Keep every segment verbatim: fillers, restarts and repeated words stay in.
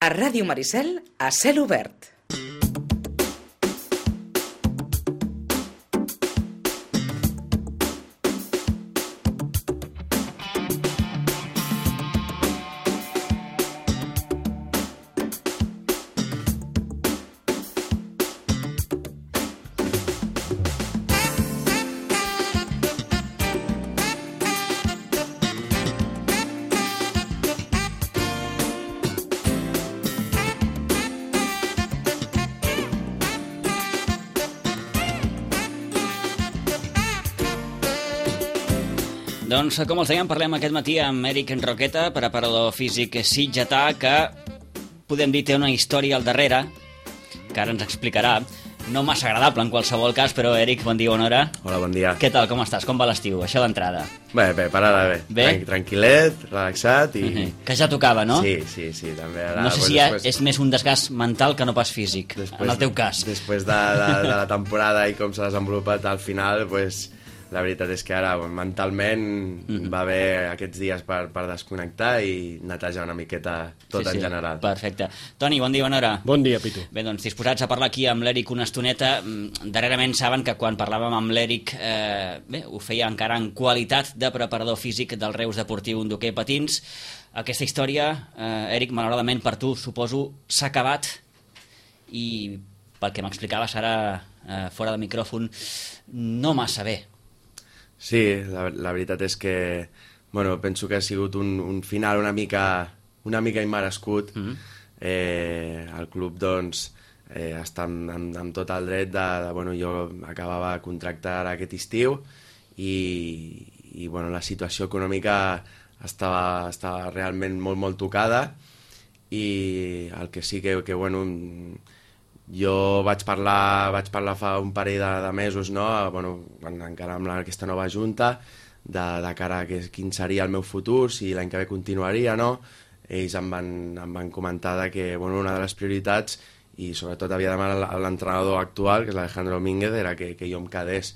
A Ràdio Maricel, a cel obert. Doncs, com els dèiem, parlem aquest matí amb Eric Roqueta, preparador físic sitgetà, que podem dir té una història al darrere, que ara ens explicarà. No massa agradable en qualsevol cas, però Eric, bon dia, bona hora. Hola, bon dia. Què tal, com estàs? Com va l'estiu? Això d'entrada. Bé, bé, per ara bé. Bé? Tran tranquil·let, relaxat i... Uh-huh. Que ja tocava, no? Sí, sí, sí, també. Ara, no sé pues, si ja després... és més un desgast mental que no pas físic, després, en el teu cas. Després de, de, de la temporada i com s'ha desenvolupat al final, pues, la veritat és que ara mentalment mm-hmm. va haver aquests dies per, per desconnectar i netejar una miqueta tot sí, en sí. general. Perfecte. Toni, bon dia, bona hora. Bon dia, Pitu. Bé, doncs disposats a parlar aquí amb l'Eric una estoneta. Darrerament saben que quan parlàvem amb l'Eric eh, bé, ho feia encara en qualitat de preparador físic del Reus Deportiu d'hoquei patins. Aquesta història, eh, Eric, malauradament per tu, suposo, s'ha acabat i pel que m'explicaves ara eh, fora de micròfon, no massa bé. Sí, la, la veritat és que bueno, penso que ha sigut un, un final una mica, una mica immerescut. Mm-hmm. eh, el club doncs, eh, està amb, amb, amb tot el dret de, de... Bueno, jo acabava de contractar aquest estiu i, i bueno, la situació econòmica estava, estava realment molt, molt tocada i el que sí que, que bueno... Jo vaig parlar, vaig parlar fa un parell de, de mesos, no? Bueno, encara amb la, aquesta nova junta, de, de cara a que, quin seria el meu futur, si l'any que ve continuaria, no? Ells em van, em van comentar de que bueno, una de les prioritats, i sobretot havia demanat l'entrenador actual, que és l'Alejandro Domínguez, era que, que jo em quedés.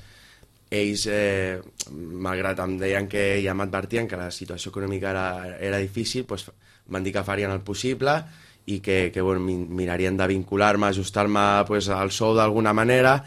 Ells, eh, malgrat em deien que ja m'advertien que la situació econòmica era, era difícil, doncs van dir que farien el possible i que, que bueno, mirarien de vincular-me, ajustar-me pues, al sou d'alguna manera,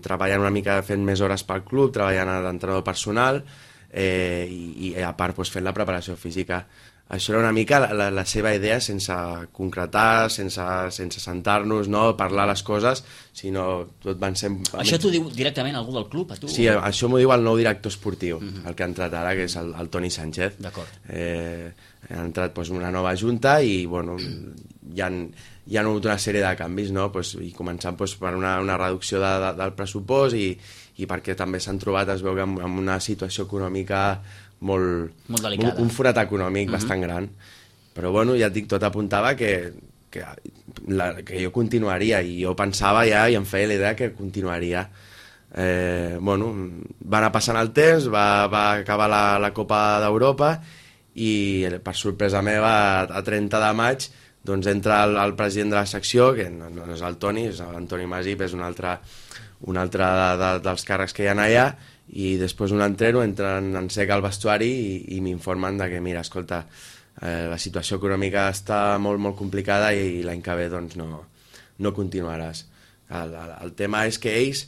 treballant una mica, fent més hores pel club, treballant d'entrenador personal eh, i, i a part pues, fent la preparació física. Això era una mica la, la, la seva idea, sense concretar, sense, sense sentar-nos, no parlar les coses, sinó tot van ser... Això t'ho diu directament algú del club, a tu? Sí, això m'ho diu el nou director esportiu, uh-huh. el que ha entrat ara, que és el, el Toni Sánchez. D'acord. Eh, ha entrat pues, una nova junta i bueno, hi ha, hi ha hagut una sèrie de canvis, no? Pues, i començant pues, per una, una reducció de, de, del pressupost i, i perquè també s'han trobat, es veu que en, en una situació econòmica molt, molt delicada. Un, un forat econòmic uh-huh. bastant gran, però bueno, ja et dic, tot apuntava que, que, la, que jo continuaria i jo pensava ja i em feia la idea que continuaria. Eh, bueno, va anar passant el temps, va, va acabar la, la Copa d'Europa i per sorpresa meva a trenta de maig doncs entra el, el president de la secció, que no, no és el Toni, és l'Antoni Masip, és un altre, un altre de, de, dels càrrecs que hi ha allà, i després un entreno, entren en sec al vestuari i, i m'informen de que, mira, escolta, eh, la situació econòmica està molt, molt complicada i, i l'any que ve doncs, no, no continuaràs. El, el, el tema és que ells,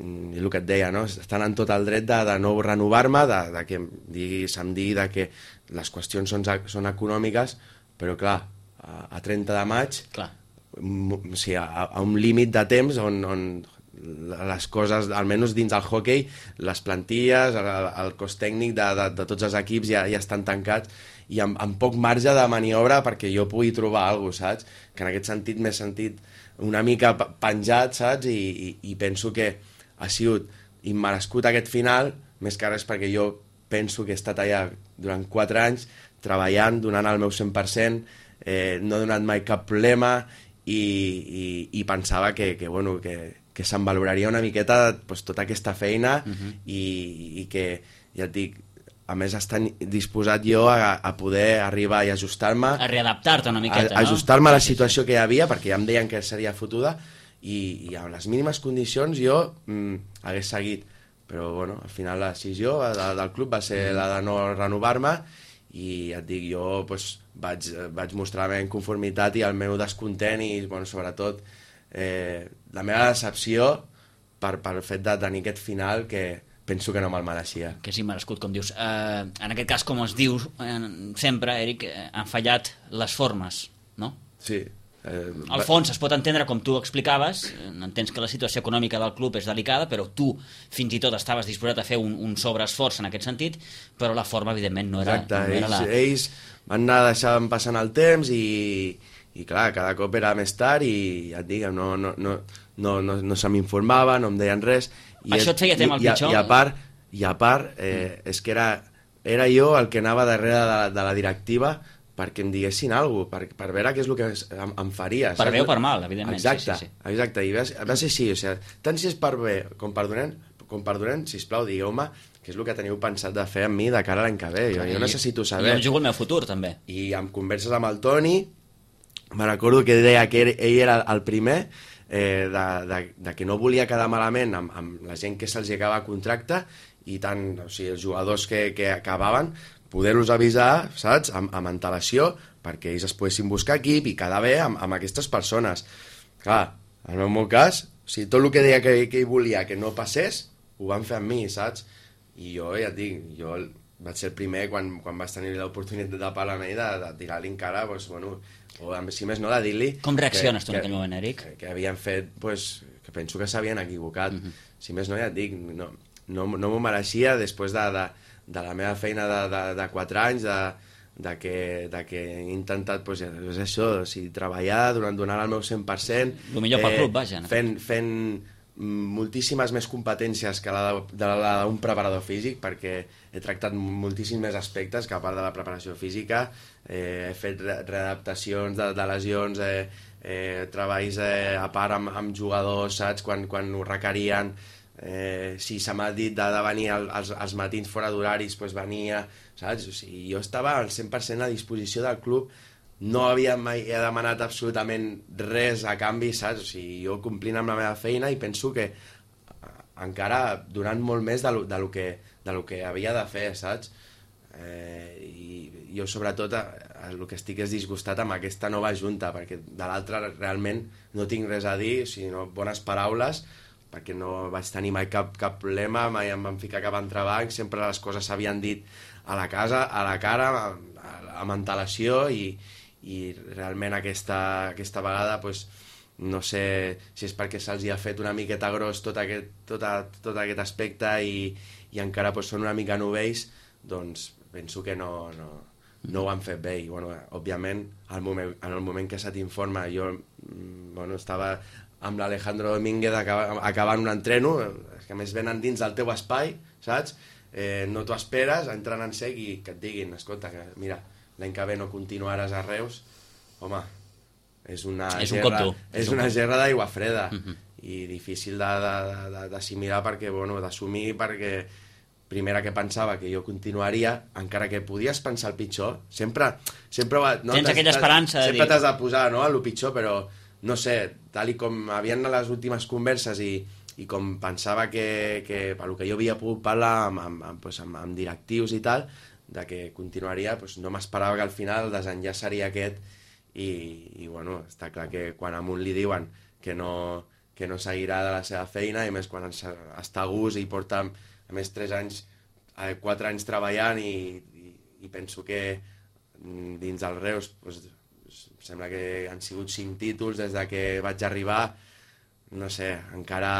i el que et deia, no? Estan en tot el dret de, de no renovar-me, de, de que digui, se'm digui de que les qüestions són, són econòmiques, però clar, a, a trenta de maig, clar. O sigui, a, a un límit de temps on, on les coses, almenys dins el hoquei, les plantilles, el, el cos tècnic de, de, de tots els equips ja, ja estan tancats i amb, amb poc marge de maniobra perquè jo pugui trobar alguna cosa, saps? Que en aquest sentit m'he sentit una mica penjat, saps? I, i, i penso que ha sigut immerescut aquest final, més que res perquè jo penso que he estat allà durant quatre anys treballant, donant el meu cent per cent, eh, no he donat mai cap problema i, i, i pensava que, que, bueno, que, que se'm valoraria una miqueta pues, tota aquesta feina uh-huh. i, i que, ja et dic, a més estar disposat jo a, a poder arribar i ajustar-me... A readaptar-te una miqueta, a, no? Ajustar-me a la situació que hi havia, perquè ja em deien que seria fotuda, i, i amb les mínimes condicions jo mm, hagués seguit. Però bueno, al final la decisió de, del club va ser la de no renovar-me i ja et dic, jo pues, vaig, vaig mostrar la meva inconformitat i el meu descontent i, bueno, sobretot, eh, la meva decepció per, per el fet de tenir aquest final que penso que no me'l mereixia. Que és immerescut, com dius. Eh, en aquest cas, com es diu eh, sempre, Eric, eh, han fallat les formes, no? Sí. Eh, Al fons es pot entendre, com tu explicaves, entens que la situació econòmica del club és delicada, però tu fins i tot estaves disposat a fer un, un sobreesforç en aquest sentit, però la forma evidentment no era, Exacte, no era ells, la... ells van anar deixant passant el temps i, i clar, cada cop era més tard i ja et dic, no, no, no, no, no, no se m'informava, no em deien res i això et feia tema el i, pitjor? I a part, i a part eh, mm. és que era, era jo el que anava darrere de, de la directiva perquè em diguessin alguna cosa, per, per veure què és el que em, em faria. Per bé o per mal, evidentment. Exacte, sí, sí, sí. exacte. I va, va ser així, o sigui, tant si és per bé com per dolent, com per dolent, sisplau, digueu-me què és el que teniu pensat de fer amb mi de cara a l'any que ve. Jo, jo necessito saber. I jo em jugo el meu futur, també. I amb converses amb el Toni, me recordo que deia que ell era el primer, eh, de, de, de que no volia quedar malament amb, amb la gent que se'ls acaba contracte i tant, o sigui, els jugadors que, que acabaven, poder-los avisar, saps?, amb, amb antelació, perquè ells es poguessin buscar equip i quedar bé amb, amb aquestes persones. Clar, en el meu cas, o sigui, tot el que deia que, que ell volia que no passés, ho van fer amb mi, saps? I jo, ja et dic, jo vaig ser el primer quan, quan vaig tenir l'oportunitat de parlar amb ell, de, de tirar-li en cara, doncs, bueno, o si més no, de dir-li... Com reacciones que, tu en aquell moment, Eric? Que, que havien fet, doncs, que penso que s'havien equivocat. Uh-huh. Si més no, ja et dic, no, no, no m'ho mereixia després de... de de la meva feina de, de, de quatre anys, de, de, que, de que he intentat, pues, és això, o sigui, treballar, durant, donar el meu cent per cent. El millor eh, pel club, vaja. Fent, fent moltíssimes més competències que la d'un preparador físic, perquè he tractat moltíssims més aspectes que a part de la preparació física. Eh, he fet readaptacions de, de lesions, eh, eh, treballs eh, a part amb, amb jugadors, saps, quan, quan ho requerien. Eh, si se m'ha dit de, de venir al, als, als matins fora d'horaris, doncs venia, saps? O sigui, jo estava al cent per cent a disposició del club, no havia mai he demanat absolutament res a canvi, saps? O sigui, jo complint amb la meva feina i penso que encara donant molt més de lo, de lo, que, de lo que havia de fer, saps? Eh, i jo sobretot el que estic és disgustat amb aquesta nova junta, perquè de l'altra realment no tinc res a dir, sinó bones paraules, perquè no vaig tenir mai cap, cap problema, mai em van ficar cap entrebanc, sempre les coses s'havien dit a la casa, a la cara, amb antelació, i, i realment aquesta, aquesta vegada, pues, no sé si és perquè se'ls ha fet una miqueta gros tot aquest, tot, a, tot aquest aspecte i, i encara pues, són una mica novells, doncs penso que no, no, no ho han fet bé. I, bueno, òbviament, al moment, en el moment que se t'informa, jo bueno, estava amb l'Alejandro Domínguez acabant, acabant un entreno, que a més venen dins del teu espai, saps? Eh, no t'ho esperes, entren en sec i que et diguin, escolta, que mira, l'any que ve no continuaràs a Reus, home, és una és gerra, un és un una gerra d'aigua freda, uh-huh. i difícil d'assimilar perquè, bueno, d'assumir perquè primera que pensava que jo continuaria, encara que podies pensar el pitjor, sempre... sempre no, tens aquella esperança sempre de t'has de posar, no?, a lo pitjor, però no sé, tal i com havien les últimes converses i, i com pensava que, que per lo que jo havia pogut parlar amb, amb, amb, pues, amb, amb directius i tal, de que continuaria, pues, no m'esperava que al final el desenllaç seria aquest i, i bueno, està clar que quan a un li diuen que no, que no seguirà de la seva feina, i més quan està a gust i porta a més tres anys, eh, quatre anys treballant i, i, i penso que dins del Reus pues, sembla que han sigut cinc títols des de que vaig arribar, no sé, encara,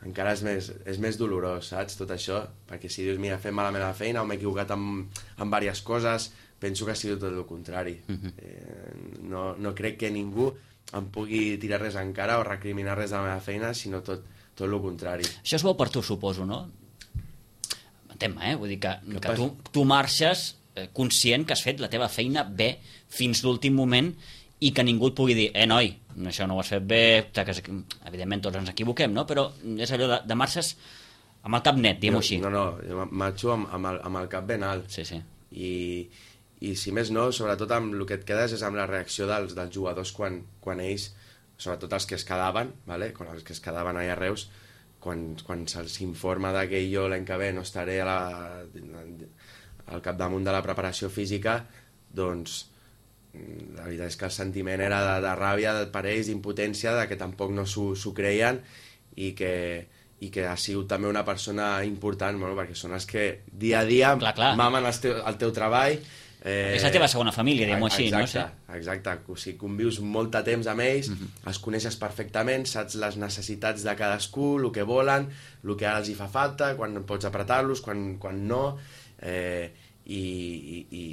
encara és, més, és més dolorós, saps, tot això, perquè si dius, mira, he fet malament la feina o m'he equivocat amb, amb diverses coses, penso que ha sigut tot el contrari. Uh-huh. eh, no, no crec que ningú em pugui tirar res en cara o recriminar res de la meva feina, sinó tot, tot el contrari. Això és bo per tu, suposo, no? Entén-me, eh? Vull dir que, que, que tu, tu marxes conscient que has fet la teva feina bé fins l'últim moment i que ningú et pugui dir, eh, noi, això no ho has fet bé, que, evidentment tots ens equivoquem, no? Però és allò de, de marxes amb el cap net, diguem-ho així. No, no, jo marxo amb, amb, el, amb el cap ben alt. Sí, sí. I, i si més no, sobretot amb el que et quedes és amb la reacció dels, dels jugadors quan, quan ells, sobretot els que es quedaven, ¿vale? Quan els que es quedaven allà a Reus, quan, quan se'ls informa que jo l'any que ve no estaré a la, al capdamunt de la preparació física, doncs la veritat és que el sentiment era de, de ràbia per ells, d'impotència, de que tampoc no s'ho creien i que, i que ha sigut també una persona important, bueno, perquè són els que dia a dia clar, clar. mamen el teu, el teu treball. Eh, és la teva segona família, diguem-ho així, exacte, no? Sí. Exacte, o sigui, convius molt de temps amb ells, uh-huh. els coneixes perfectament, saps les necessitats de cadascú, el que volen, el que ara els hi fa falta, quan pots apretar-los, quan, quan no, eh, i, i, i,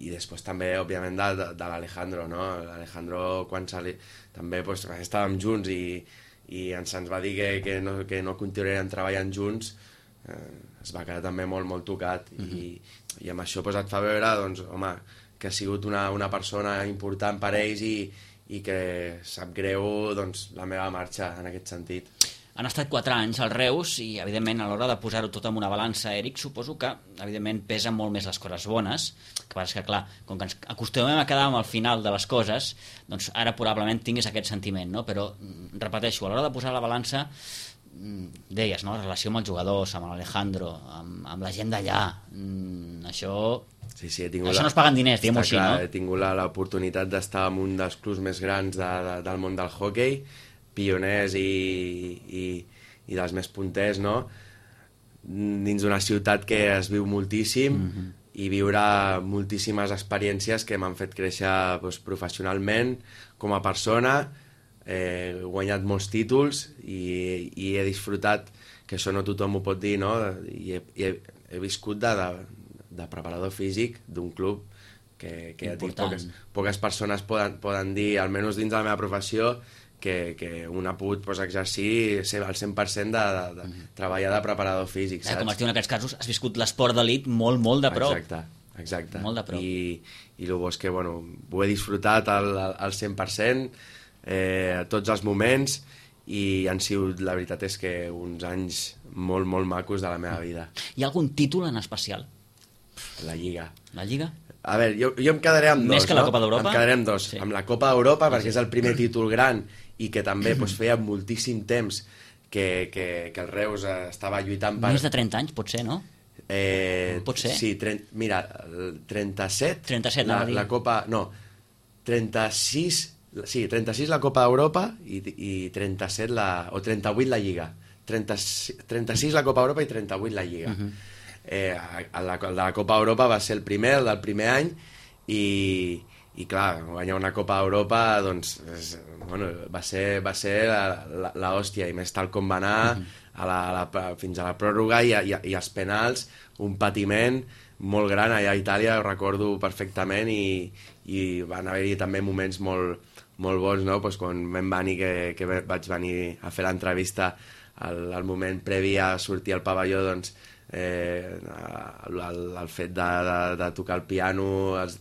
i després també, òbviament, de, de, de l'Alejandro, no? L'Alejandro, quan sali... també pues, estàvem junts i, i ens, ens va dir que, que, no, que no continuaríem treballant junts, eh, es va quedar també molt, molt tocat, uh-huh. i i amb això pues, et fa veure doncs, home, que ha sigut una, una persona important per ells i, i que sap greu doncs, la meva marxa en aquest sentit. Han estat quatre anys al Reus i, evidentment, a l'hora de posar-ho tot en una balança, Eric, suposo que, evidentment, pesen molt més les coses bones, que passa que, clar, com que ens acostumem a quedar amb el final de les coses, doncs ara probablement tinguis aquest sentiment, no? Però, repeteixo, a l'hora de posar la balança, deies, no? La relació amb els jugadors, amb l'Alejandro, amb, amb la gent d'allà, mm, això... Sí, sí, he tingut això la... no es paguen diners, diguem-ho així, clar, no? He tingut l'oportunitat d'estar en un dels clubs més grans de, de, del món del hoquei, pioners i, i, i dels més punters, no? Dins d'una ciutat que es viu moltíssim, mm-hmm. i viure moltíssimes experiències que m'han fet créixer doncs, professionalment, com a persona. He guanyat molts títols i, i he disfrutat, que això no tothom ho pot dir, no? I he, he, he viscut de, de, de preparador físic d'un club que, que ja dic, poques, poques persones poden, poden dir, almenys dins de la meva professió, que, que un ha pogut pues, exercir al cent per cent de, de, de mm-hmm. treballar de preparador físic, saps? Eh, com es diu en aquests casos, has viscut l'esport d'elit molt, molt de prop. Exacte, exacte. Molt de prop. I, i el bo és que, bueno, ho he disfrutat al, al cent per cent, eh, a tots els moments, i han sigut, la veritat és que uns anys molt, molt macos de la meva vida. Hi ha algun títol en especial? La Lliga. La Lliga? A veure, jo, jo em quedaré amb dos. Més que la no? Copa d'Europa? Em quedaré amb dos. Sí. Amb la Copa d'Europa, sí, perquè sí. és el primer títol gran i que també pues, feia moltíssim temps que, que, que el Reus estava lluitant per... Més de trenta anys, potser, no? Eh, Pot ser? Sí, tre... mira, trenta-set... trenta-set, la, la Copa... No, trenta-sis... Sí, trenta-sis la Copa d'Europa i, i trenta-set la... o trenta-vuit la Lliga. trenta, trenta-sis la Copa d'Europa i trenta-vuit la Lliga. Uh-huh. eh, la, el de la Copa d'Europa va ser el primer, el del primer any, i, i clar, guanyar una Copa d'Europa doncs, és, bueno, va ser, va ser l'hòstia, i més tal com va anar uh-huh. a la, a la, fins a la pròrroga i, i, i als penals, un patiment molt gran allà a Itàlia, ho recordo perfectament, i, i van haver-hi també moments molt, molt bons, no? Pues quan vam venir, que, que vaig venir a fer l'entrevista al, al moment previ a sortir al pavelló, doncs eh, el, el fet de, de, de tocar el piano,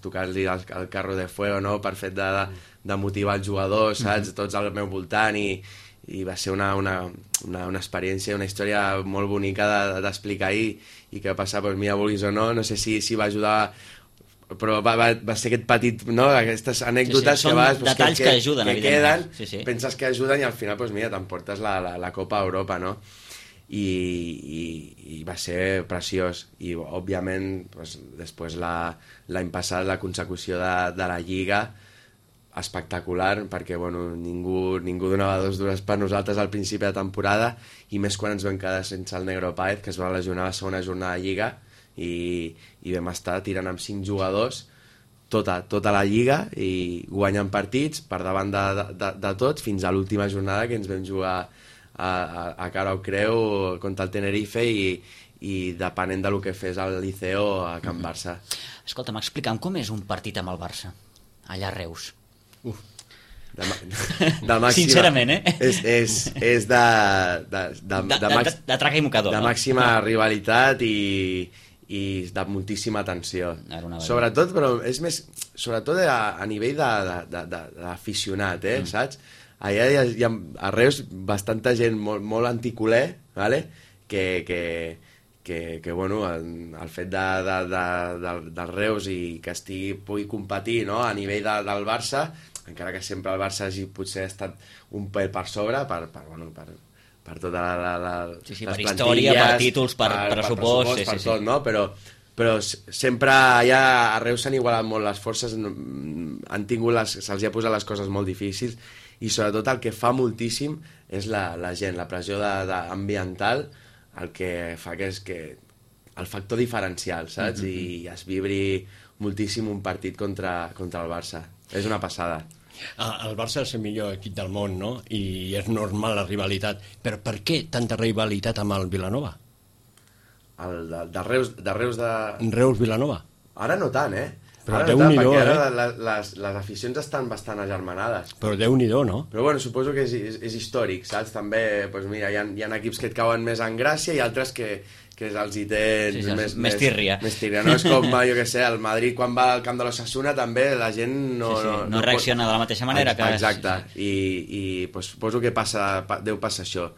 tocar-li el, el carro de fuego, no? Per fet de, de, de motivar els jugadors, saps? Tots al meu voltant, i, i va ser una, una, una, una experiència, una història molt bonica d'explicar de, i, i que va passar, doncs mira, vulguis o no, no sé si, si va ajudar, però va, va, va ser aquest petit, no? Aquestes anècdotes sí, sí, que vas, pues, detalls que, que, que ajuden, que queden, sí, sí. penses que ajuden i al final, pues, mira, t'emportes la, la, la Copa Europa, no? I, i, i va ser preciós, i òbviament pues, després l'any passat la consecució de, de la Lliga, espectacular, perquè bueno, ningú, ningú donava dos dures per nosaltres al principi de temporada, i més quan ens vam quedar sense el Negro Páez, que es va lesionar la segona jornada de Lliga, i, i vam estar tirant amb cinc jugadors tota, tota la Lliga i guanyant partits per davant de, de, de tot, fins a l'última jornada que ens vam jugar a, a, a cara o creu contra el Tenerife, i, i depenent del que fes el Liceo a Can Barça. Escolta'm, explica'm com és un partit amb el Barça allà a Reus. Uf, de, de màxima, sincerament, eh? És, és, és de, de, de, de, de, de, de, de traca i mocador, de no? màxima rivalitat i, i de moltíssima tensió. Sobretot, però és més, sobretot a, a nivell d'aficionat, eh, mm. saps? Allà hi ha, hi ha a Reus bastanta gent molt, molt anticuler, vale? que, que, que, que bueno, el, el fet de, de, de, de, del Reus i que estigui, pugui competir, no? A nivell de, del Barça, encara que sempre el Barça hagi potser estat un pèl per sobre, per, per, bueno, per, per tota la, la, la, sí, sí, les per història, per títols, per, per pressupost, per, sí, per sí, tot, sí. no? Però, però sempre ja a Reus s'han igualat molt les forces, han tingut les, se'ls ha posat les coses molt difícils, i sobretot el que fa moltíssim és la, la gent, la pressió de, de ambiental, el que fa que és que el factor diferencial, saps? Mm-hmm. I es vibri moltíssim un partit contra, contra el Barça. És una passada. El Barça és el millor equip del món, no? I és normal la rivalitat. Però per què tanta rivalitat amb el Vilanova? El de, de Reus de... Reus de... Reus-Vilanova? Ara no tant, eh? Però ara no tant, Déu-n'hi-do, perquè ara eh? les, les, les aficions estan bastant agermanades. Però Déu-n'hi-do, no? Però bueno, suposo que és, és, és històric, saps? També, doncs mira, hi ha, hi ha equips que et cauen més en gràcia i altres que, que els hi tens sí, sí, més, més tírria. Més tírria, no? És com, jo què sé, el Madrid quan va al camp de l'Osasuna també la gent no... Sí, sí, no, no, no reacciona pot... de la mateixa manera que... Exacte, i, i doncs, suposo que passa, deu passar això.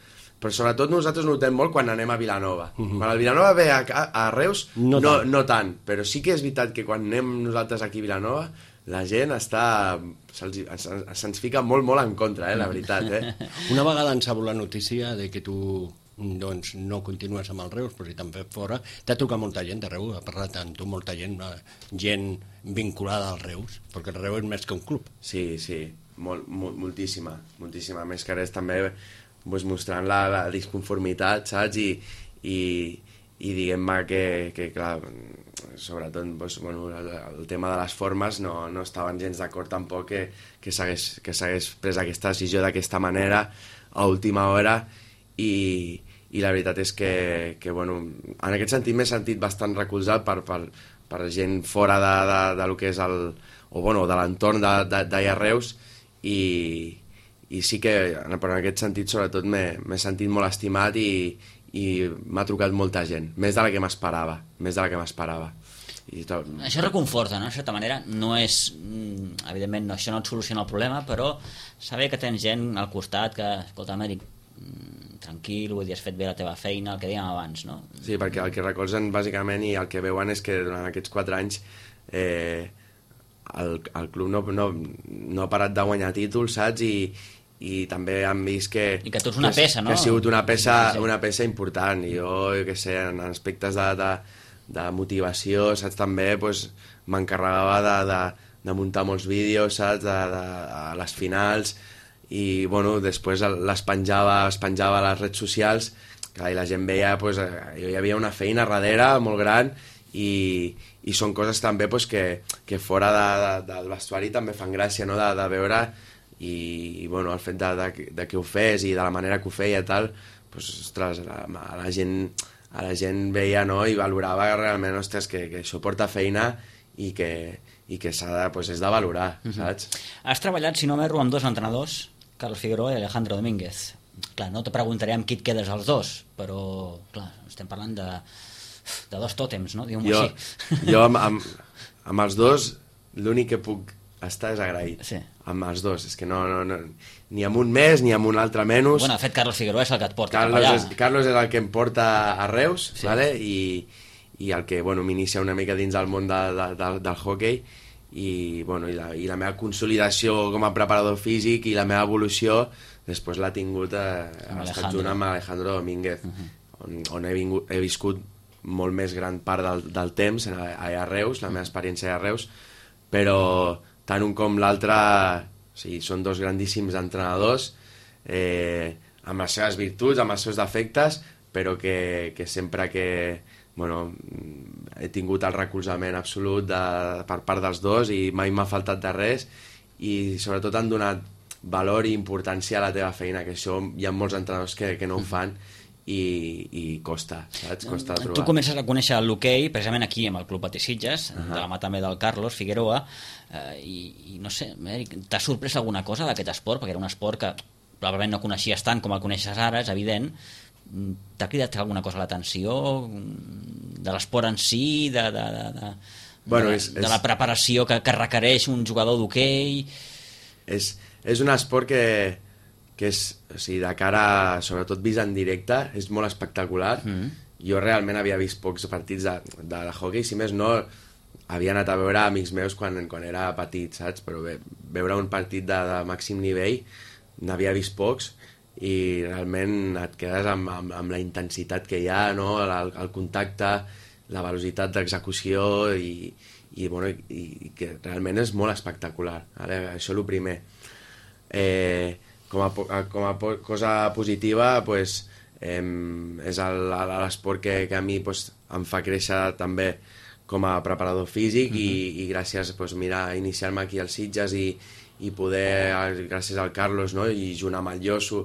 Però sobretot nosaltres notem molt quan anem a Vilanova. Uh-huh. Quan el Vilanova ve a, a Reus, no, no, tant. no tant, però sí que és veritat que quan anem nosaltres aquí a Vilanova, la gent està... Se'ls, se'ns fica molt, molt en contra, eh, la veritat. Eh? Una vegada ens ha la notícia de que tu doncs, no continues amb el Reus, però si te'n fes fora, t'ha trucat molta gent de Reus, ha parlat amb tu molta gent, gent vinculada al Reus, perquè el Reus és més que un club. Sí, sí, molt, molt, moltíssima, moltíssima. Més que res també... Pues mostrant la, la disconformitat, saps? I, i, i diguem-me que, que, clar, sobretot pues, bueno, el, el tema de les formes no, no estaven gens d'acord tampoc que, que s'hagués pres aquesta decisió d'aquesta manera a última hora i, i la veritat és que, que bueno, en aquest sentit m'he sentit bastant recolzat per, per, per gent fora de, de, de lo que és el, o bueno, de l'entorn d'allà a Reus i i sí que, però en aquest sentit, sobretot, m'he sentit molt estimat i, i m'ha trucat molta gent, més de la que m'esperava, més de la que m'esperava. Tot... Això reconforta, no? De certa manera, no és... Evidentment, no, això no et soluciona el problema, però saber que tens gent al costat que, escolta, Amèric, tranquil, vull dir, has fet bé la teva feina, el que dèiem abans, no? Sí, perquè el que recolzen, bàsicament, i el que veuen és que durant aquests quatre anys eh, el, el club no, no, no ha parat de guanyar títols, saps? I i també han vist que... I que tu ets una que, peça, no? Que ha sigut una peça, una peça important, i jo, jo què sé, en aspectes de, de, de motivació, saps, també pues, m'encarregava de, de, de muntar molts vídeos, saps, de, de, a les finals, i bueno, després les penjava, les penjava a les redes socials, que la gent veia, pues, hi havia una feina darrere molt gran, i, i són coses també pues, que, que fora de, de, del vestuari també fan gràcia, no?, de, de veure... i, i bueno, el fet de, de, de que ho fes i de la manera que ho feia i tal, pues, ostres, a, a la gent a la gent veia, no?, i valorava realment, ostres, que, que això porta feina i que, i que s'ha de, pues, és de valorar, uh-huh. saps? Has treballat, si no m'erro, amb dos entrenadors, Carlos Figueroa i Alejandro Domínguez. Clar, no te preguntaré amb qui et quedes els dos, però, clar, estem parlant de, de dos tòtems, no?, diguem-ho així. Jo amb, amb, amb els dos l'únic que puc estar és agraït, sí. Amb els dos, és que no, no, no, ni amb un més ni amb un altre menys. Bueno, de fet, Carlos Figueroa és el que et porta Carlos cap allà. És, Carlos és el que em porta a Reus, sí. Vale? I, i el que bueno, m'inicia una mica dins del món de, de, de, del hockey i, bueno, i, la, i la meva consolidació com a preparador físic i la meva evolució després l'ha tingut eh, estat junt amb Alejandro Domínguez, uh-huh. on, on he, vingut, he viscut molt més gran part del, del temps a, a Reus, la meva experiència a Reus, però tant un com l'altre, o sigui, són dos grandíssims entrenadors, eh, amb les seves virtuts, amb els seus defectes, però que, que sempre que bueno, he tingut el recolzament absolut de, per part dels dos i mai m'ha faltat de res i sobretot han donat valor i importància a la teva feina, que això hi ha molts entrenadors que, que no ho fan i, i costa, saps? Costa de trobar. Tu comences a conèixer l'hoquei precisament aquí amb el Club Patí Sitges, uh-huh. de la mà també del Carlos Figueroa, eh, i, i no sé, t'ha sorprès alguna cosa d'aquest esport? Perquè era un esport que probablement no coneixies tant com el coneixes ara, és evident. T'ha cridat alguna cosa a l'atenció de l'esport en si, de, de, de, de, bueno, de, és, de la preparació que, que requereix un jugador d'hoquei? És, és un esport que que és, o sigui, de cara, sobretot vist en directe, és molt espectacular. Mm. Jo realment havia vist pocs partits de, de, de hockey, si més no, havia anat a veure amics meus quan, quan era petit, saps? Però bé, veure un partit de, de màxim nivell, n'havia vist pocs, i realment et quedes amb, amb, amb la intensitat que hi ha, no? el, el contacte, la velocitat d'execució i, i, bueno, i, i que realment és molt espectacular. Ara, això és el primer. Eh, com, a, com a cosa positiva, pues, eh, és l'esport que, que a mi pues, em fa créixer també com a preparador físic uh-huh. i, i gràcies pues, mira, a iniciar-me aquí als Sitges i, i poder, gràcies al Carlos, no? I junt amb el Josu,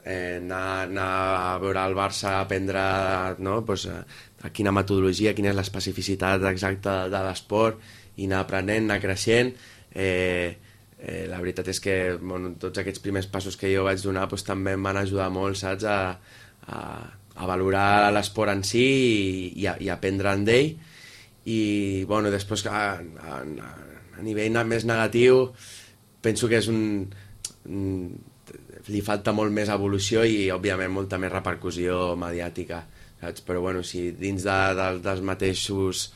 eh, anar, anar a veure el Barça, aprendre no? pues, a, a quina metodologia, quina és l'especificitat exacta de l'esport, i anar aprenent, anar creixent. Eh, eh, la veritat és que bueno, tots aquests primers passos que jo vaig donar pues, també em van ajudar molt, saps? A, a, a valorar l'esport en si i, i, a, i aprendre d'ell. I bueno, després a, a, a nivell més negatiu penso que és un, un li falta molt més evolució i òbviament molta més repercussió mediàtica, saps? Però bueno, si dins de, de, dels mateixos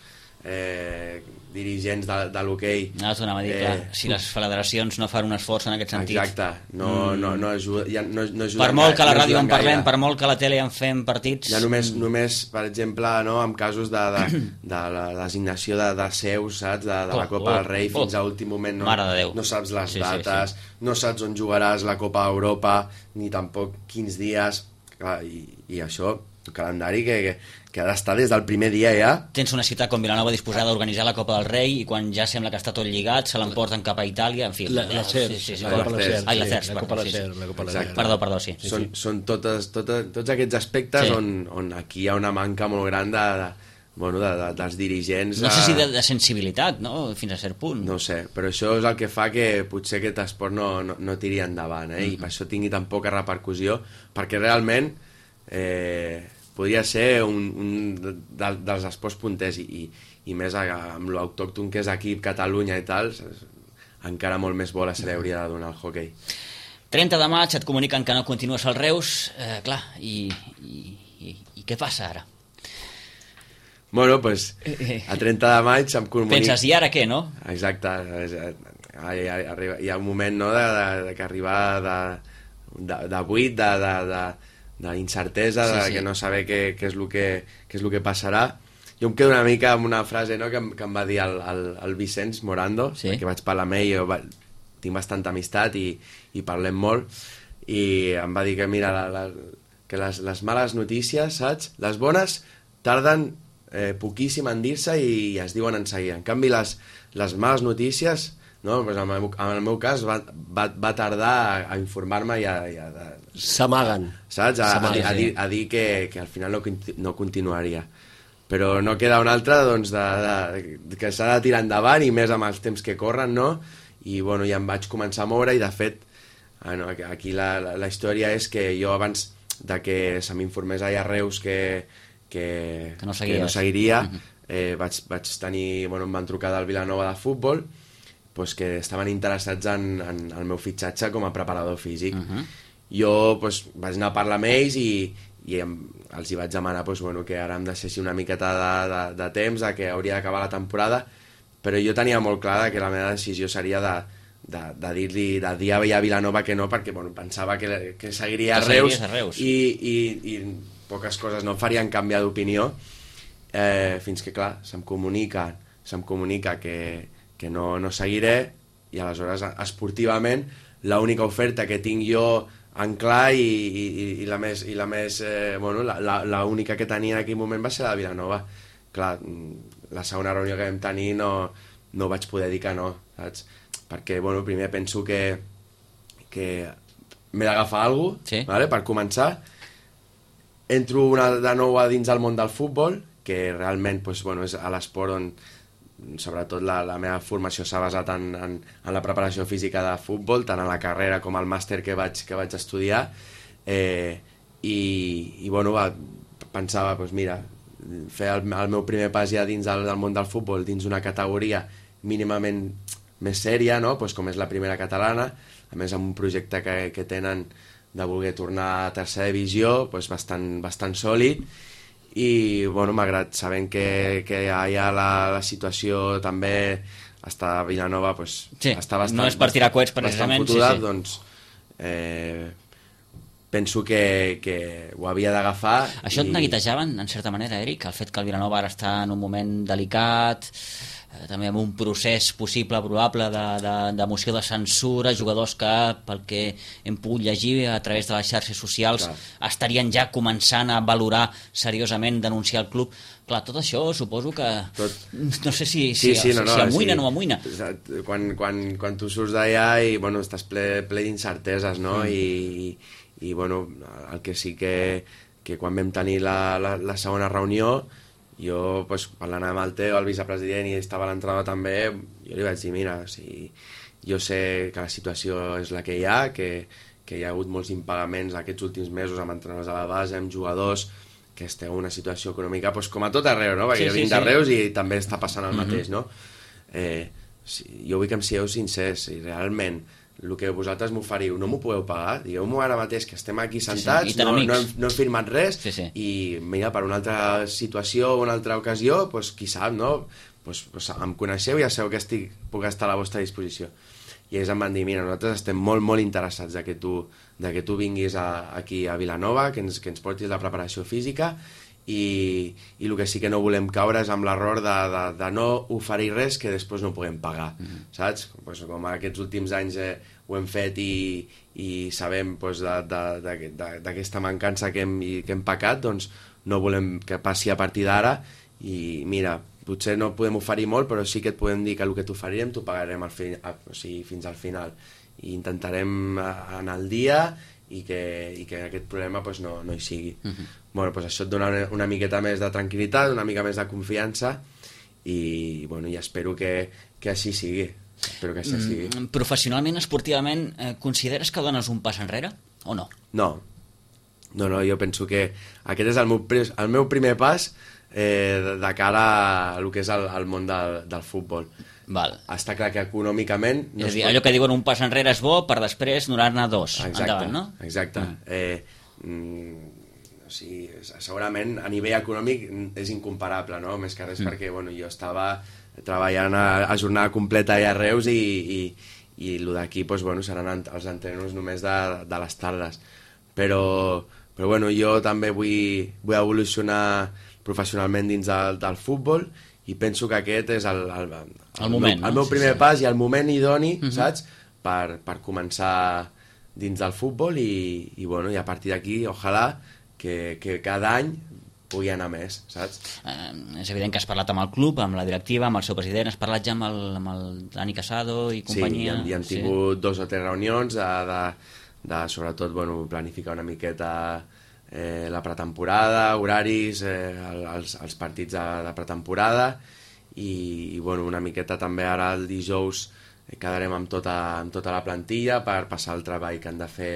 eh, dirigents de, de l'hoquei no, a dir, eh, clar, si les federacions no fan un esforç en aquest sentit, exacte, no, mm. no, no, ajuda, ja, no, no per molt que a la no ràdio en parlem, gaire. Per molt que a la tele en fem partits ja només, mm. només per exemple, no, en casos de, de, de la designació de, de seus, saps? De, de oh, la Copa oh, del Rei oh, fins a últim moment no, de no saps les sí, dates sí, sí. No saps on jugaràs la Copa d'Europa ni tampoc quins dies, clar, i, i això un calendari que, que, que ha d'estar des del primer dia ja. Tens una ciutat com Vilanova disposada a organitzar la Copa del Rei i quan ja sembla que està tot lligat se l'emporten cap a Itàlia, en fi. La, la C E R, sí, sí, sí, la Copa de la C E R. Perdó, perdó, sí. sí, són, sí. són totes, totes, tots aquests aspectes sí. on, on aquí hi ha una manca molt gran de, de, bueno, de, de, dels dirigents. No sé si de, de sensibilitat, no? Fins a cert punt. No sé, però això és el que fa que potser aquest esport no, no, no tiri endavant, eh? Mm-hmm. I per això tingui tan poca repercussió, perquè realment eh, podria ser un, un de, dels esports punters i, i, i més amb l'autòcton que és aquí Catalunya i tal, encara molt més bola se li hauria de donar al hoquei. trenta de maig et comuniquen que no continues al Reus, eh, clar, i, i, i, i què passa ara? Bueno, doncs, a trenta de maig em comuniquen... Penses, i ara què, no? Exacte, hi ha, hi ha un moment no, de, de, de que arribar de, de, de buit, de, de, de, d'incertesa, sí, de sí. que no saber què, què, és el que, què és el que passarà. Jo em quedo una mica amb una frase no, que, em, que em va dir el, el, el Vicenç Morando, sí. que vaig parlar amb ell, jo va, tinc bastanta amistat i, i parlem molt, i em va dir que mira, la, la, que les, les males notícies, saps? Les bones tarden eh, poquíssim en dir-se i, i es diuen en seguida. En canvi, les, les males notícies, no? Pues en, el, en el meu cas va, va, va tardar a, a informar-me i a... I a s'amaguen. Saps? A, a, a, dir, a dir que, que al final no, no continuaria. Però no queda una altra doncs, de, de, que s'ha de tirar endavant i més amb els temps que corren, no? I bueno, ja em vaig començar a moure i de fet bueno, aquí la, la, la història és que jo abans de que se m'informés allà a Reus que, que, que, no, que no seguiria eh, vaig, vaig tenir, bueno, em van trucar del Vilanova de futbol pues, que estaven interessats en, en el meu fitxatge com a preparador físic. Uh-huh. Jo pues, vaig anar a parlar amb ells i, i em, els hi vaig demanar pues, bueno, que ara em deixessi una miqueta de, de, de temps, de que hauria d'acabar la temporada, però jo tenia molt clar que la meva decisió seria de, de, de dir-li, de dir a Vilanova que no, perquè bueno, pensava que, que seguiria a Reus, a Reus. I, i, i poques coses no em farien canviar d'opinió, eh, fins que clar, se'm comunica, se'm comunica que, que no, no seguiré, i aleshores esportivament l'única oferta que tinc jo en clar i, i, i la més, i la més eh, bueno, la, la, la única que tenia en aquell moment va ser la de Vilanova. Clar, la segona reunió que vam tenir no, no vaig poder dir que no, saps? Perquè, bueno, primer penso que, que m'he d'agafar alguna cosa, sí. Vale? Per començar. Entro una, de nou a dins del món del futbol, que realment pues, bueno, és a l'esport on sobretot la, la meva formació s'ha basat en, en, en la preparació física de futbol, tant en la carrera com al màster que vaig, que vaig estudiar, eh, i, i bueno, va, pensava, doncs mira, fer el, el meu primer pas ja dins del, del món del futbol, dins una categoria mínimament més sèria, no? Pues com és la primera catalana, a més amb un projecte que, que tenen de voler tornar a tercera divisió, pues bastant, bastant sòlid, i bueno, malgrat sabent que, que allà la, la situació també està a Vilanova pues, sí, està bastant, no és per tirar coets precisament fotuda, sí, sí. Doncs eh, penso que, que ho havia d'agafar. Això et i... neguitejaven, en certa manera, Eric? El fet que el Vilanova ara està en un moment delicat, eh, també amb un procés possible, probable, de, de, de moció de censura, jugadors que, pel que hem pogut llegir a través de les xarxes socials, clar, estarien ja començant a valorar seriosament denunciar el club. Clar, tot això suposo que... Tot... No sé si, si, sí, sí, no, no, si amoïna o sí, no amoïna. Quan, quan, quan tu surts d'allà i bueno, estàs ple, ple d'incerteses, no? Mm. I, i bueno, el que sí que, que quan vam tenir la, la, la segona reunió, jo pues, parlant amb el Teo, el vicepresident, i estava a l'entrada també, jo li vaig dir, mira, si jo sé que la situació és la que hi ha, que, que hi ha hagut molts impagaments aquests últims mesos amb entrenadors a la base, amb jugadors, que esteu en una situació econòmica pues, com a tot arreu, no? Perquè sí, jo vinc sí, de Reus sí. I també està passant el mateix, no? Eh, si, jo vull que em sigueu sincers, i realment el que vosaltres m'oferiu no m'ho podeu pagar, digueu-m'ho ara mateix que estem aquí sentats, sí, sí. No, no, hem, no hem firmat res, sí, sí. I mira, per una altra situació o una altra ocasió, pues, qui sap, no? Pues, pues, em coneixeu i ja sabeu que estic, puc estar a la vostra disposició. I ells em van dir, mira, nosaltres estem molt, molt interessats de que tu, de que tu vinguis a, aquí a Vilanova, que ens, que ens portis la preparació física, i, i el que sí que no volem caure és amb l'error de, de, de no oferir res que després no puguem pagar, mm-hmm. saps? Pues, com aquests últims anys eh, ho hem fet i, i sabem pues, d'aquesta mancança que hem, que hem pecat, doncs no volem que passi a partir d'ara, i mira, potser no podem oferir molt, però sí que et podem dir que el que t'oferirem t'ho pagarem al fi, o sigui, fins al final, i intentarem anar al dia i que, i que aquest problema pues, no, no hi sigui. Uh-huh. Bueno, pues això et dona una, una miqueta més de tranquil·litat, una mica més de confiança, i, bueno, i espero que, que així sigui. Espero que així sigui. Mm, professionalment, esportivament, eh, consideres que dones un pas enrere o no? No. No, no, jo penso que aquest és el meu, el meu primer pas eh, de, de cara al que és el, el món del, del futbol. Val. Està clar que econòmicament... No és a dir, pot... allò que diuen un pas enrere és bo, per després donar-ne dos. Exacte, endavant, no? Exacte. Mm. Eh, mm, o sigui, segurament a nivell econòmic és incomparable, no? Més que res mm. perquè bueno, jo estava treballant a, a jornada completa a Reus i, i, i el d'aquí pues, bueno, seran els entrenos només de, de les tardes. Però, però bueno, jo també vull, vull evolucionar professionalment dins del, del futbol, i penso que aquest és el, el, el, el, moment, el, no? el meu primer sí, sí. pas i el moment idoni, uh-huh. saps? Per, per començar dins del futbol i, i, bueno, i a partir d'aquí, ojalà que, que cada any pugui anar més, saps? Eh, és evident que has parlat amb el club, amb la directiva, amb el seu president, has parlat ja amb el, amb el Dani Casado i companyia? Sí, i hem, hem tingut sí. dos o tres reunions de, de, de sobretot, bueno, planificar una miqueta Eh, la pretemporada, horaris, eh, els, els partits de, de pretemporada i, i bueno, una miqueta també ara el dijous eh, quedarem amb tota, amb tota la plantilla per passar el treball que han de fer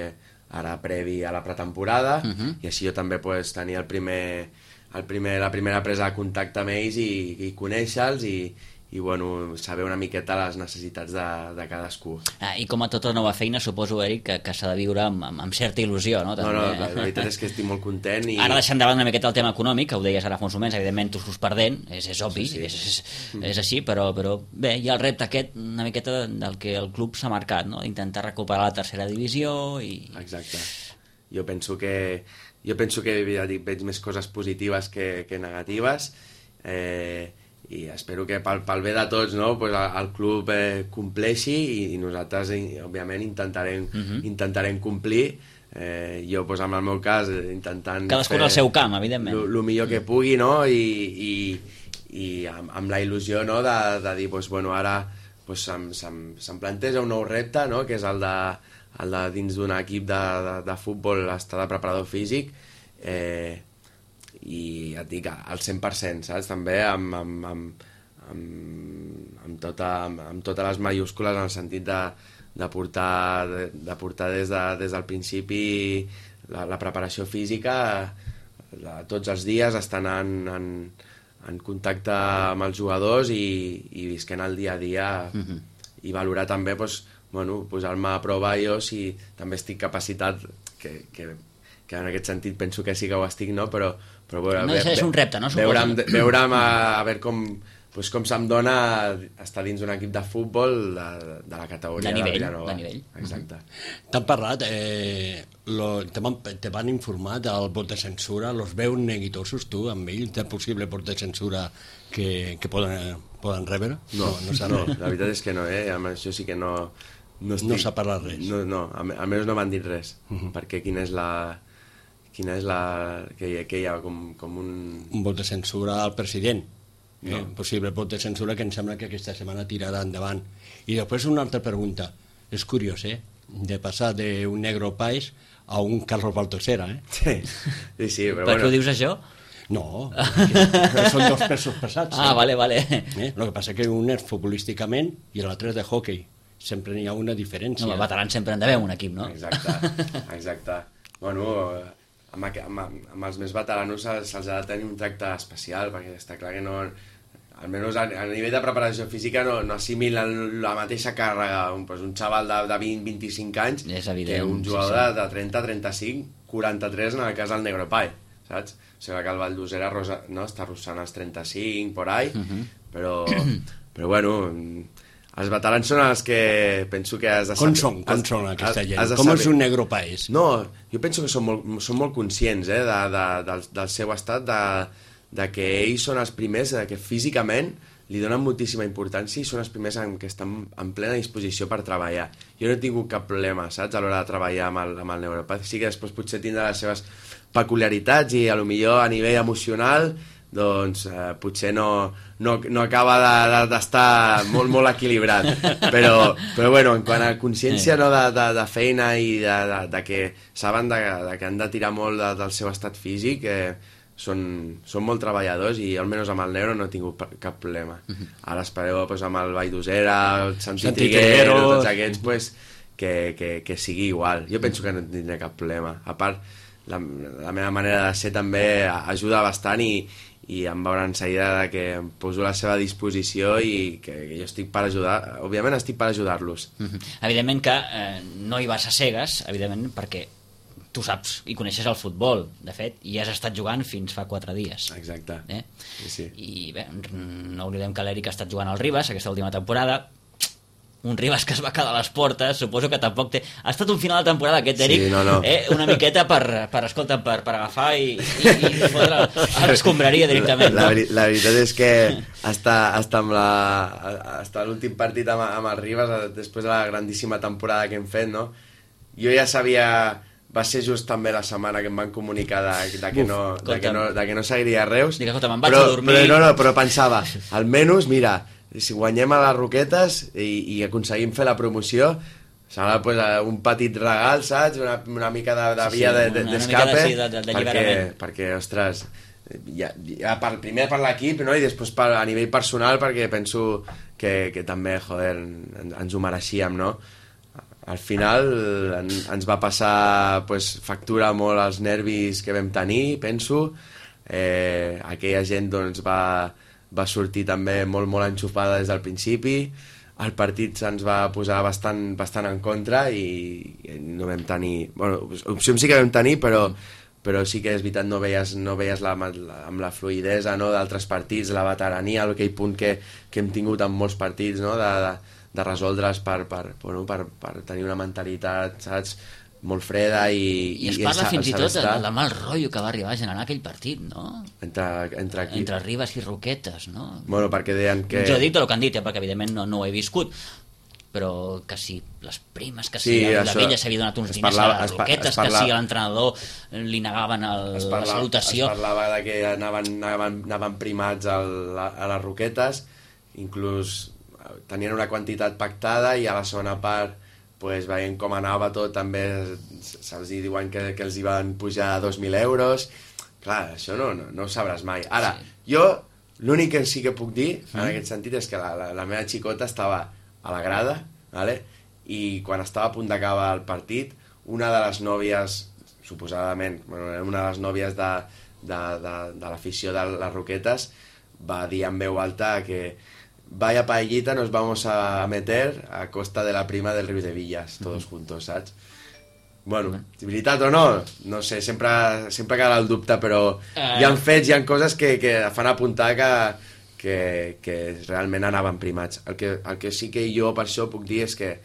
ara previ a la pretemporada uh-huh. i així jo també pues, tenir el primer, el primer, la primera presa de contacte amb ells i, i conèixer-los i, i bueno, saber una miqueta les necessitats de, de cadascú. Ah, I com a tota nova feina, suposo, Eric, que, que s'ha de viure amb, amb, amb certa il·lusió, no? També. No, no, la, la veritat és que estic molt content. I... Ara deixant davant una miqueta el tema econòmic, que ho deies ara fa uns moments, evidentment tu surts perdent, és, és obvi, sí, sí. És, és, és així, però, però bé, hi ha el repte aquest una miqueta del que el club s'ha marcat, no? Intentar recuperar la tercera divisió i... Exacte. Jo penso que, jo penso que ja dic, veig més coses positives que, que negatives, eh, i espero que pel, pel bé de tots, no? Pues el, el club eh, compleixi i, i nosaltres òbviament intentarem, uh-huh. intentarem complir eh, jo pues, en el meu cas intentant cadascú al seu camp, evidentment, el millor que pugui, no? I, i, i amb, amb la il·lusió, no? de, de dir pues, bueno, ara pues, se'm, se'm, se'm planteja un nou repte, no? Que és el de, el de dins d'un equip de, de, de futbol estar de preparador físic eh, i et dic al cent per cent, saps? També amb, amb, amb, amb, amb, tota, amb, amb totes les mayúscules en el sentit de, de portar, de, de portar des, de, des del principi la, la preparació física la, tots els dies, estar en, en, en contacte amb els jugadors i, i visquent el dia a dia uh-huh. i valorar també pues, bueno, posar-me a prova jo si també estic capacitat que, que, que en aquest sentit penso que sí que ho estic, no? Però, però veure, no deixa de ser un repte, no? Veure'm, veure'm a, a veure com, pues com se'm dona estar dins d'un equip de futbol de, de la categoria de nivell, de Vilanova. De nivell. Exacte. T'han parlat, eh, lo, te, van, te van informar del vot de censura, los veus neguitosos tu amb ells, del possible vot de censura que, que poden, poden rebre? No, no, no, no, la veritat és que no, eh? Amb això sí que no... No, estic, no s'ha parlat res. No, no, almenys no m'han dit res, uh -huh. perquè quina és la... Quina és la... que, hi, que hi ha com, com un... Un vot de censura al president. No. Eh, possible vot de censura que em sembla que aquesta setmana tirarà endavant. I després una altra pregunta. És curiós, eh? De passar d'un Negro Páez a un Carlos Baltosera, eh? Sí, sí, sí però per bueno... què ho dius això? No, que, que són dos pesos pesats. Ah, eh? vale, vale. Eh? El que passa que un és futbolísticament i l'altre és de hockey. Sempre n'hi ha una diferència. No, els veterans sempre han d'haver un equip, no? Exacte, exacte. Bueno, amb, amb, amb els més veteranos se'ls ha de tenir un tracte especial, perquè està clar que no... Almenys a, a nivell de preparació física no, no assimilen la mateixa càrrega un, pues, un xaval de, de vint a vint-i-cinc anys és evident, que un jugador sí, sí. de trenta a trenta-cinc, quaranta-tres en el cas del Negro Páez, saps? O sigui que el Valdosera rosa, no? Està rossant els trenta-cinc, por ahí, uh -huh. però, però bueno, els veterans són els que penso que has de saber... Com són, com són aquesta gent? Com saber. és un Negro Páez? No, jo penso que són molt, són molt conscients eh, de, de, del, del seu estat, de, de que ells són els primers, de que físicament li donen moltíssima importància i són els primers en que estan en plena disposició per treballar. Jo no he tingut cap problema, saps, a l'hora de treballar amb el, amb el Negro Páez. Sí que després potser tindrà les seves peculiaritats i a lo millor a nivell emocional doncs eh, potser no, no, no acaba d'estar de, de molt, molt equilibrat, però, però bueno, en quant a consciència no, de, de, de feina i de, de, de que saben de, de que han de tirar molt de, del seu estat físic, eh, són, són molt treballadors i almenys amb el Negro no he tingut cap problema. Ara espereu pues, amb el Valldossera, el Santi, Santi Triguero, tots aquests, pues, que, que, que sigui igual. Jo penso que no tindré cap problema. A part, la, la meva manera de ser també ajuda bastant i, i em veuran seguida que em poso a la seva disposició i que, que jo estic per ajudar, òbviament estic per ajudar-los. Evidentment que eh, no hi vas a cegues, evidentment, perquè tu saps i coneixes el futbol, de fet, i has estat jugant fins fa quatre dies. Exacte. Eh? Sí, sí. I bé, no oblidem que l'Eric ha estat jugant al Ribas aquesta última temporada, un Ribas que es va quedar a les portes, suposo que tampoc té... Ha estat un final de temporada aquest, Eric, sí, no, no. Eh? una miqueta per, per escolta, per, per agafar i, i, i fotre a l'escombraria directament. La, la, no? la veritat és que està, està amb la, està l'últim partit amb, amb el Ribas, després de la grandíssima temporada que hem fet, no? Jo ja sabia... Va ser just també la setmana que em van comunicar de, de, que, no, de, que, no, de que no seguiria a Reus. Dic, escolta, me'n vaig però, a dormir. Però, no, no, però pensava, almenys, mira, si guanyem a les Roquetes i, i aconseguim fer la promoció, serà pues, un petit regal, saps? Una, una mica de, de via sí, sí, d'escape. De, de, de, de perquè, perquè, ostres, ja, ja per, primer per l'equip, no? I després per, a nivell personal, perquè penso que, que també, joder, ens ho mereixíem, no? Al final en, ens va passar pues, factura molt als nervis que vam tenir, penso. Eh, aquella gent doncs, va, va sortir també molt, molt enxupada des del principi. El partit se'ns va posar bastant, bastant en contra i, i no vam tenir... Bueno, opcions sí que vam tenir, però, però sí que és veritat, no veies, no veies la, la, amb la fluïdesa no, d'altres partits, la veterania, aquell punt que, que hem tingut en molts partits, no, de... de de resoldre's per, per, bueno, per, per tenir una mentalitat, saps, molt freda i... I es parla i fins i tot del mal rotllo que va arribar a generar aquell partit, no? Entre, entre, aquí. entre Ribas i Roquetes, no? Bueno, perquè deien que... Jo dic del que han dit, eh, perquè evidentment no, no ho he viscut, però que si les primes, que si sí, la això, vella s'havia donat uns diners parlava, a les Roquetes, parla, que si a l'entrenador li negaven el, parla, la salutació... Es parlava de que anaven, anaven, anaven primats al, a, a les Roquetes, inclús... tenien una quantitat pactada i a la segona part pues, veient com anava tot també se'ls diuen que, que els hi van pujar dos mil euros. Clar, això no, no, no ho sabràs mai. Ara, sí. Jo l'únic que sí que puc dir en mm. aquest sentit és que la, la, la meva xicota estava a la grada, vale? I quan estava a punt d'acabar el partit, una de les nòvies, suposadament, bueno, una de les nòvies de, de, de, de l'afició de les Roquetes va dir en veu alta que vaya paellita nos vamos a meter a costa de la prima del Rius de Villas, todos juntos, saps? Bueno, veritat o no, no sé, sempre, sempre queda el dubte, però uh... hi ha fets, hi ha coses que, que fan apuntar que, que, que realment anaven primats. El que, el que sí que jo per això puc dir és que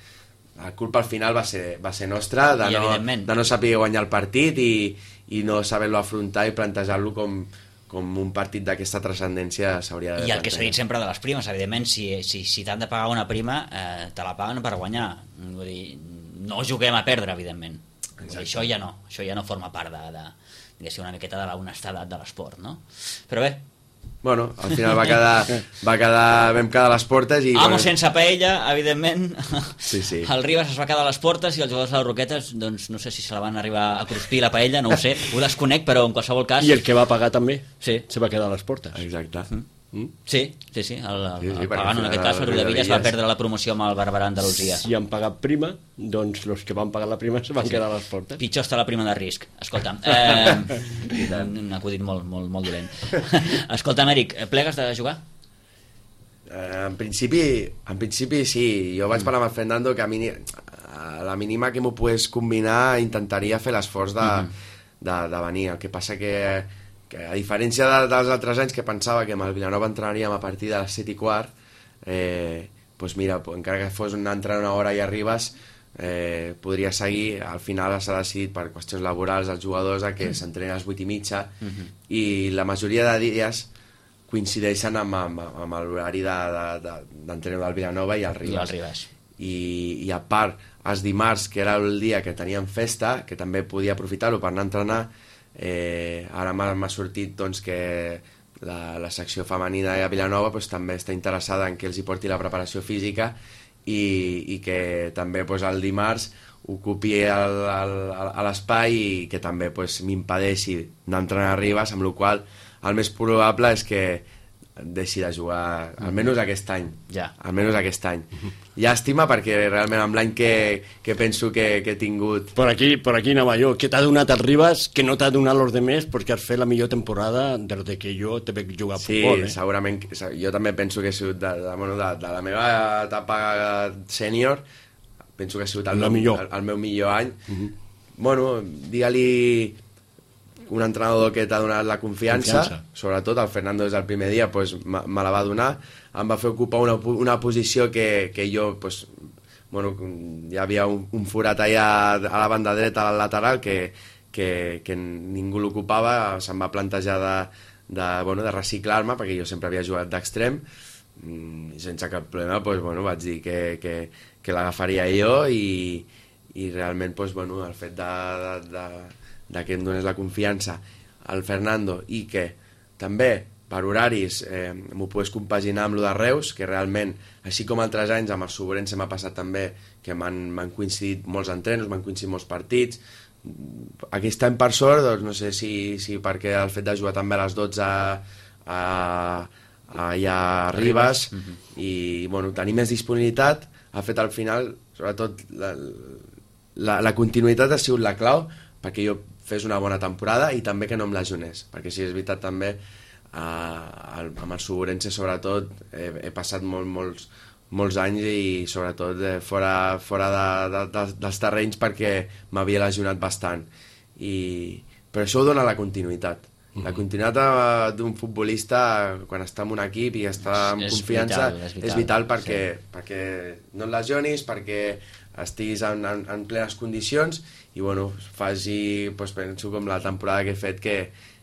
la culpa al final va ser, va ser nostra de no, de no saber guanyar el partit i, i no saber-lo afrontar i plantejar-lo com, com un partit d'aquesta transcendència s'hauria de I el que s'ha dit sempre de les primes, evidentment, si, si, si t'han de pagar una prima, eh, te la paguen per guanyar. Vull dir, no juguem a perdre, evidentment. Vull dir, això ja no, això ja no forma part de, de, de una miqueta de l'honestedat de l'esport, no? Però bé, bueno, al final va quedar, va quedar vam quedar a les portes i... Amo bueno, sense paella, evidentment. Sí, sí. El Ribas es va quedar a les portes i els jugadors de les Roquetes, doncs no sé si se la van arribar a cruspir la paella, no ho sé, ho desconec, però en qualsevol cas... I el que va pagar també sí. se va quedar a les portes. Exacte. Mm. Mm? Sí, sí, sí, el, el, sí, sí, el Pagano en aquest cas, el Riudevillas va perdre la promoció amb el Barberà Andalusia. Si han pagat prima, doncs els que van pagar la prima se van sí. quedar a les portes. Pitjor està la prima de risc. Escolta'm, eh, un acudit molt, molt, molt dolent. Escolta'm, Eric, plegues de jugar? Eh, en principi, en principi sí. Jo vaig parlar amb el Fernando que a, mini, a la mínima que m'ho pogués combinar intentaria fer l'esforç de, mm-hmm. de, de venir. El que passa que que a diferència de, dels altres anys que pensava que amb el Vilanova entrenaríem a partir de les set i quart, eh, doncs mira, encara que fos una entrada una hora i arribes, eh, podria seguir. Al final s'ha decidit per qüestions laborals als jugadors a que s'entrenen a les vuit i mitja uh-huh. i la majoria de dies coincideixen amb, amb, amb l'horari d'entrenament del Vilanova i el Ribas. I el Ribas. I, i a part, els dimarts, que era el dia que teníem festa, que també podia aprofitar-ho per anar a entrenar, Eh, ara m'ha sortit doncs, que la, la secció femenina de Vilanova doncs, també està interessada en que els hi porti la preparació física i, i que també doncs, el dimarts ocupi el, el, el, l'espai i que també doncs, m'impedeixi anar a entrenar a Ribas, amb la qual el més probable és que deixi de jugar, almenys aquest any. Ja. Almenys aquest any. Llàstima, perquè realment amb l'any que, que penso que, que he tingut... Per aquí, per aquí anava jo. Què t'ha donat el Ribas que no t'ha donat los demés perquè has fet la millor temporada des de que jo te veig jugar a sí, futbol, eh? Sí, segurament. Jo també penso que he sigut de, de, bueno, de, de la meva etapa sènior, penso que ha sigut el, meu, el, el meu millor any. Uh-huh. Bueno, digue-li un entrenador que t'ha donat la confiança, confiança, sobretot el Fernando des del primer dia pues, me la va donar, em va fer ocupar una, una posició que, que jo pues, bueno, hi havia un, un forat allà a la banda dreta al lateral que, que, que ningú l'ocupava, se'm va plantejar de, de, bueno, de reciclar-me perquè jo sempre havia jugat d'extrem i sense cap problema pues, bueno, vaig dir que, que, que l'agafaria jo i, i realment pues, bueno, el fet de, de, de de que em donés la confiança al Fernando i que també per horaris eh, m'ho pogués compaginar amb lo de Reus, que realment, així com altres anys amb el Soborense m'ha passat també que m'han coincidit molts entrenos, m'han coincidit molts partits. Aquest any per sort, doncs no sé si, si perquè el fet de jugar també a les dotze a, a, allà a Ribas uh-huh. i bueno, tenir més disponibilitat ha fet al final, sobretot la, la, la continuïtat ha sigut la clau perquè jo fes una bona temporada i també que no em lesionés, perquè sí, és veritat també eh, amb el Soborense sobretot he, he passat molt, molts, molts anys i sobretot eh, fora, fora de, de, de, dels terrenys perquè m'havia lesionat bastant i, però això ho dona la continuïtat. La continuïtat d'un futbolista quan està en un equip i està amb és confiança vital, és, vital, és vital perquè, sí. perquè no et lesionis, perquè estiguis en, en, en plenes condicions i bueno, faci, doncs, penso com la temporada que he fet que,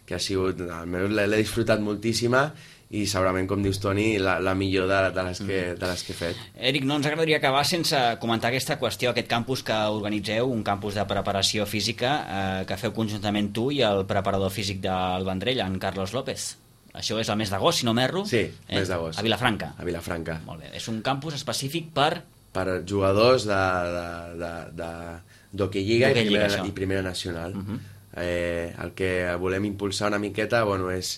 que ha sigut, almenys l'he disfrutat moltíssima i segurament, com dius Toni, la, la millor de, de, les que, de les que he fet. Eric, no ens agradaria acabar sense comentar aquesta qüestió, aquest campus que organitzeu, un campus de preparació física eh, que feu conjuntament tu i el preparador físic del Vendrell, en Carlos López. Això és el mes d'agost, si no m'erro? Sí, eh? mes d'agost. A Vilafranca. A Vilafranca. Molt bé. És un campus específic per... Per jugadors de, de, de, de, d'Hockey Lliga i primera, i primera nacional. Uh-huh. eh, el que volem impulsar una miqueta bueno, és,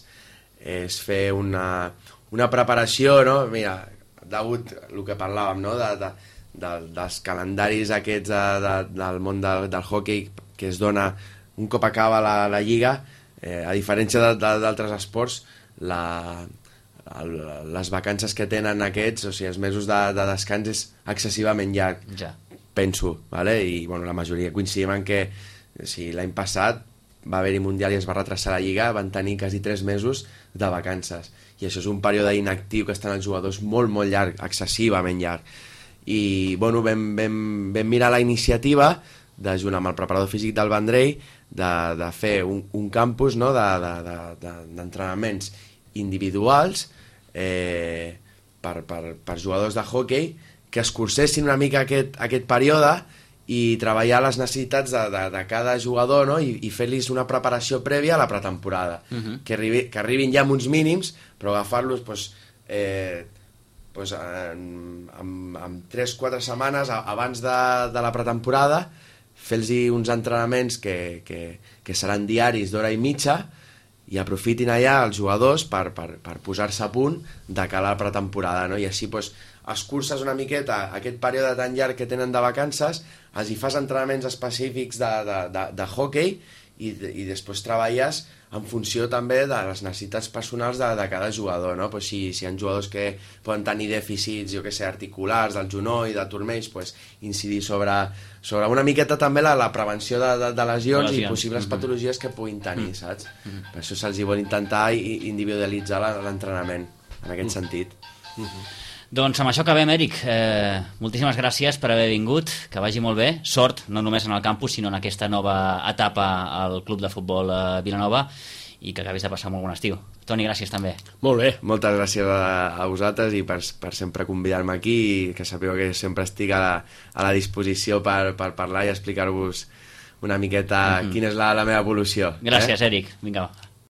és fer una, una preparació, no? Mira, degut el que parlàvem, no? de, de, de, dels calendaris aquests de, de, del món del, del hockey que es dona un cop acaba la, la Lliga, eh, a diferència de, de, d'altres esports, la... El, les vacances que tenen aquests, o sigui, els mesos de, de descans és excessivament llarg, ja. penso, vale? I bueno, la majoria coincidim en que si l'any passat va haver-hi Mundial i es va retrasar la Lliga, van tenir quasi tres mesos de vacances. I això és un període inactiu que estan els jugadors molt, molt llarg, excessivament llarg. I, bueno, vam, vam, vam mirar la iniciativa, de, junt amb el preparador físic del Vendrell, de, de fer un, un campus, no?, d'entrenaments de, de, de, individuals eh, per, per, per jugadors de hoquei que es cursessin una mica aquest, aquest període i treballar les necessitats de, de, de cada jugador, no?, i, i fer-los una preparació prèvia a la pretemporada, uh-huh. que, arribi, que arribin ja amb uns mínims, però agafar-los pues, eh, pues, en, en, en tres quatre setmanes abans de, de la pretemporada, fer-los uns entrenaments que, que, que seran diaris d'hora i mitja i aprofitin allà els jugadors per, per, per posar-se a punt de cara a la pretemporada, no? I així pues, es curses una miqueta aquest període tan llarg que tenen de vacances, els hi fas entrenaments específics de, de, de, de hoquei i, i després treballes en funció també de les necessitats personals de, de cada jugador, no? Pues si, si hi ha jugadors que poden tenir dèficits, jo que sé, articulars, del genoll, de turmells, pues incidir sobre, sobre una miqueta també la, la prevenció de, de, de lesions, lesions i possibles mm-hmm. patologies que puguin tenir, saps? Mm-hmm. Per això se'ls hi vol intentar individualitzar l'entrenament, en aquest mm-hmm. sentit. Mm-hmm. Doncs amb això acabem, Eric. Eh, moltíssimes gràcies per haver vingut, que vagi molt bé. Sort, no només en el campus, sinó en aquesta nova etapa al Club de Futbol eh, Vilanova, i que acabis de passar molt bon estiu. Toni, gràcies també. Molt bé. Moltes gràcies a, a vosaltres i per, per sempre convidar-me aquí, i que sapigueu que sempre estic a la, a la disposició per, per parlar i explicar-vos una miqueta mm-hmm. quina és la, la meva evolució. Gràcies, eh? Eric. Vinga, va.